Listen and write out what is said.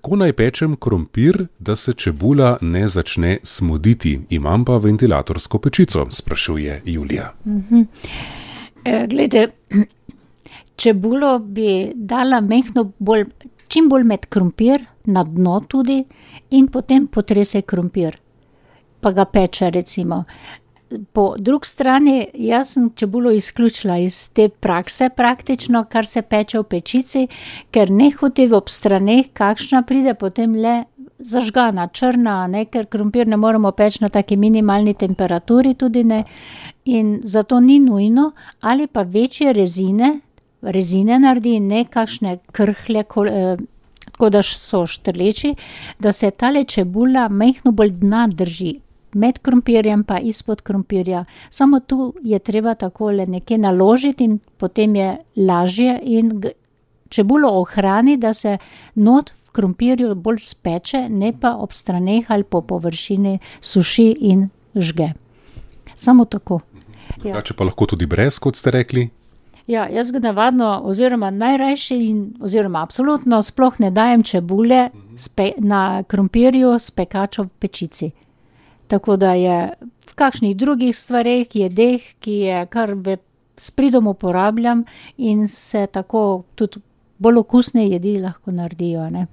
Kako naj pečem krompir, da se čebula ne začne smoditi? Imam pa ventilatorsko pečico, sprašuje Julija. Glejte, čebulo bi dala čim bolj med krompir, na dno tudi, in potem potrese krompir, pa ga peče recimo. Po drugi strani, jaz sem čebulo izključila iz te prakse praktično, kar se peče v pečici, ker nehote ob straneh, kakšna pride potem le zažgana, črna, ne, ker krompir ne moremo peči na taki minimalni temperaturi tudi ne, in zato ni nujno, ali pa večje rezine naredi, ne kakšne krhlje, tako da so štrleči, da se tale čebula majhno bolj dna drži. Med krompirjem pa izpod krompirja. Samo tu je treba takole nekje naložiti in potem je lažje in čebulo ohrani, da se not v krompirju bolj speče, ne pa ob straneh ali po površini suši in žge. Samo tako. Drugače pa lahko tudi brez, kot ste rekli? Ja, jaz ga navadno oziroma najrajši oziroma absolutno sploh ne dajem čebule na krompirju s pekačo v pečici. Tako da je v kakšnih drugih stvareh, jedeh, ki je kar s pridom uporabljam in se tako tudi bolj okusne jedi lahko naredijo, ne.